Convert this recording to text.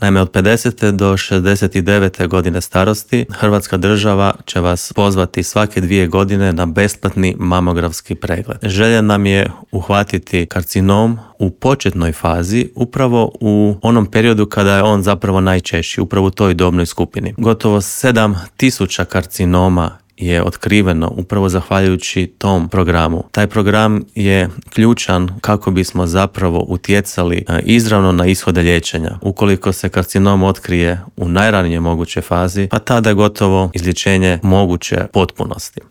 Naime, od 50. do 69. godine starosti Hrvatska država će vas pozvati svake 2 godine na besplatni mamografski pregled. Želja nam je uhvatiti karcinom u početnoj fazi, upravo u onom periodu kada je on zapravo najčešći, upravo u toj dobnoj skupini. Gotovo 7.000 karcinoma je otkriveno upravo zahvaljujući tom programu. Taj program je ključan kako bismo zapravo utjecali izravno na ishode liječenja. Ukoliko se karcinom otkrije u najranijoj mogućoj fazi, pa tada je gotovo izlječenje moguće potpunosti.